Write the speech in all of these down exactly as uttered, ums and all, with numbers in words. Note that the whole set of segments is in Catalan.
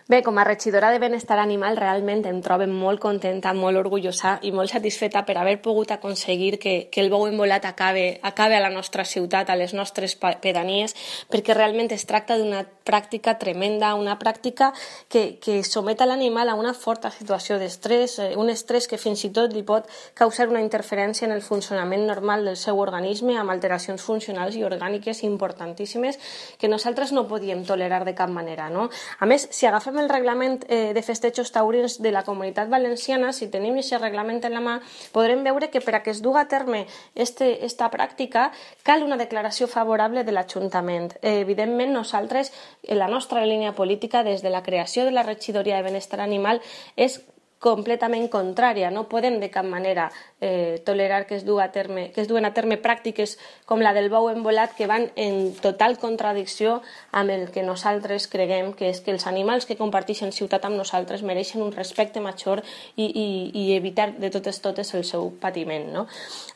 Bé, com a regidora de Benestar Animal realment em trobo molt contenta, molt orgullosa i molt satisfeta per haver pogut aconseguir que, que el bou embolat acabe, acabe a la nostra ciutat, a les nostres pedanies, perquè realment es tracta d'una pràctica tremenda, una pràctica que, que somet a l'animal a una forta situació d'estrès, un estrès que fins i tot li pot causar una interferència en el funcionament normal del seu organisme amb alteracions funcionals i orgàniques importantíssimes que nosaltres no podíem tolerar de cap manera, no? A més, si agafem el reglament eh, de festejos taurins de la Comunitat Valenciana, si tenim aquest reglament en la mà, podrem veure que per a que es duga a terme este, esta pràctica cal una declaració favorable de l'Ajuntament. Eh, evidentment, nosaltres, en la nostra línia política, des de la creació de la Regidoria de Benestar Animal, és completament contrària. No podem de cap manera eh, tolerar que es, a terme, que es duen a terme pràctiques com la del bou embolat que van en total contradicció amb el que nosaltres creguem que és que els animals que comparteixen ciutat amb nosaltres mereixen un respecte major i, i, i evitar de totes totes el seu patiment, no?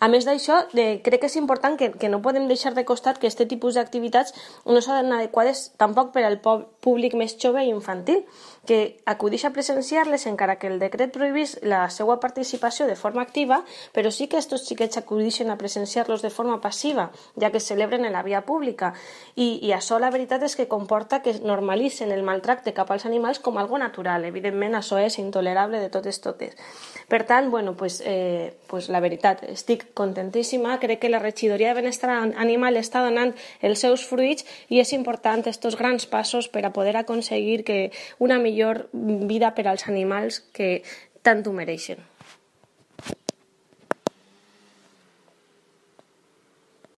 A més d'això, eh, crec que és important que, que no podem deixar de costat que aquest tipus d'activitats no són adequades tampoc per al públic més jove i infantil, que acudeix a presenciar-les encara que el decret prohibís la seva participació de forma activa, però sí que aquests xiquets acudeixen a presenciar-los de forma passiva, ja que es celebren en la via pública. I, i això la veritat és que comporta que normalitzen el maltracte cap als animals com algo natural. Evidentment, això és intolerable de totes totes. Per tant, bueno, pues, eh, pues la veritat, estic contentíssima, crec que la Regidoria de Benestar Animal està donant els seus fruits i és important estos grans passos per a poder aconseguir que una millor vida per als animals que tant ho mereixen.